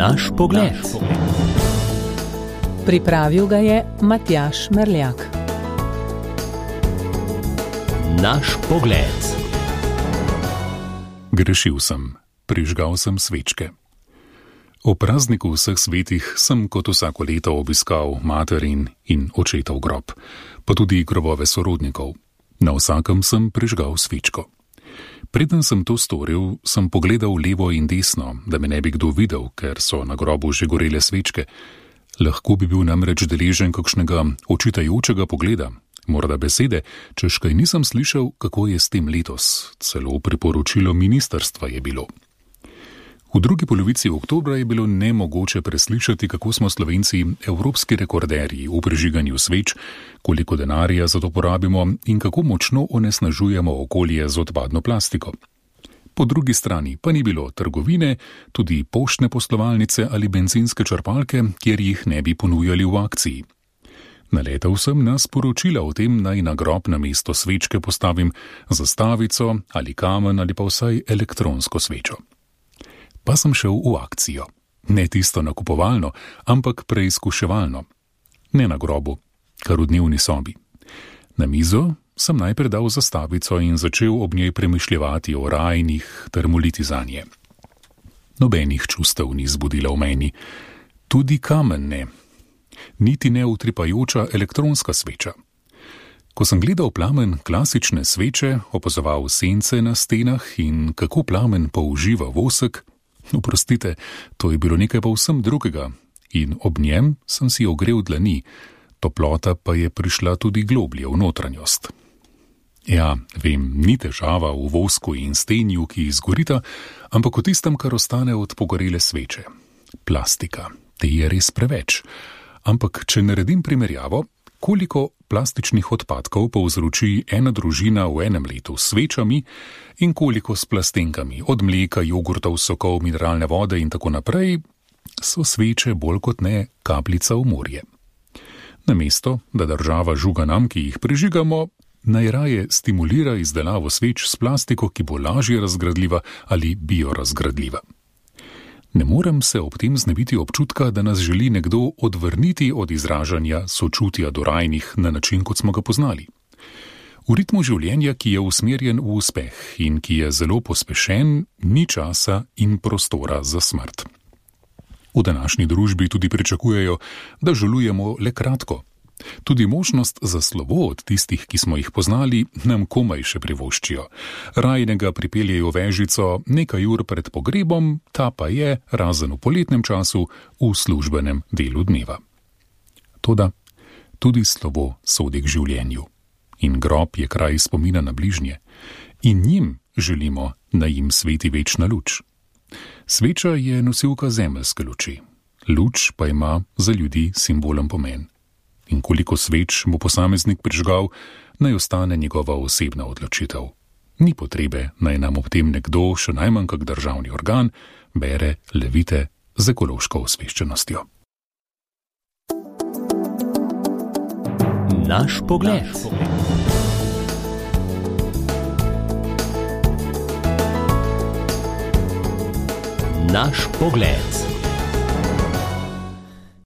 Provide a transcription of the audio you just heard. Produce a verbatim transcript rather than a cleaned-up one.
Naš pogled. Pripravil ga je Matjaž Merljak. Naš pogled. Grešil sem, prižgal sem svečke. O prazniku vseh svetih sem kot vsako leto obiskal materin in očetov grob, pa tudi grobove sorodnikov. Na vsakem sem prižgal svečko. Preden sem to storil, sem pogledal levo in desno, da me ne bi kdo videl, ker so na grobu že gorele svečke. Lahko bi bil namreč deležen kakšnega očitajočega pogleda, morda besede, češ kaj nisem slišal, kako je s tem letos. Celo priporočilo ministrstva je bilo. V drugi polovici oktobra je bilo nemogoče preslišati, kako smo Slovenci evropski rekorderji v prižiganju sveč, koliko denarja za to porabimo in kako močno onesnažujemo okolje z odpadno plastiko. Po drugi strani pa ni bilo trgovine, tudi poštne poslovalnice ali bencinske črpalke, kjer jih ne bi ponujali v akciji. Naletel sem na sporočila o tem, naj na grob na mesto svečke postavim zastavico ali kamen ali pa vsaj elektronsko svečo. Pa sem šel v akcijo. Ne tisto nakupovalno, ampak preizkuševalno. Ne na grobu, kar v dnevni sobi. Na mizo sem najprej dal zastavico in začel ob njej premišljevati o rajnih ter moliti zanje. Nobenih čustev ni zbudila v meni. Tudi kamen ne. Niti ne utripajoča elektronska sveča. Ko sem gledal plamen klasične sveče, opazoval sence na stenah in kako plamen použiva vosek, oprostite, to je bilo nekaj povsem drugega in ob njem sem si ogrel dlani, toplota pa je prišla tudi globlje v notranjost. Ja, vem, ni težava v vosku in stenju, ki izgorita, ampak v tistem, kar ostane od pogorele sveče. Plastika, te je res preveč. Ampak, če naredim primerjavo, koliko plastičnih odpadkov povzroči ena družina v enem letu s svečami in koliko s plastenkami, od mleka, jogurtov, sokov, mineralne vode in tako naprej, so sveče bolj kot ne kapljica v morje. Namesto, da država žuga nam, ki jih prižigamo, najraje stimulira izdelavo sveč s plastiko, ki bo lažje razgradljiva ali biorazgradljiva. Ne morem se ob tem znebiti občutka, da nas želi nekdo odvrniti od izražanja sočutja do rajnih na način, kot smo ga poznali. V ritmu življenja, ki je usmerjen v uspeh in ki je zelo pospešen, ni časa in prostora za smrt. V današnji družbi tudi pričakujejo, da žalujemo le kratko. Tudi možnost za slovo od tistih, ki smo jih poznali, nam komaj še privoščijo. Rajnega pripeljejo vežico nekaj ur pred pogrebom, ta pa je, razen v poletnem času, v službenem delu dneva. Toda tudi slovo sodi k življenju. In grob je kraj spomina na bližnje. In njim želimo, da jim sveti večna luč. Sveča je nosilka zemeljske luči. Luč pa ima za ljudi simbolen pomen. In koliko sveč bo posameznik prižgal, naj ostane njegova osebna odločitev. Ni potrebe, naj nam ob tem nekdo, še najmanj kak državni organ, bere levite z ekološko osveščenostjo. Naš pogled. Naš pogled.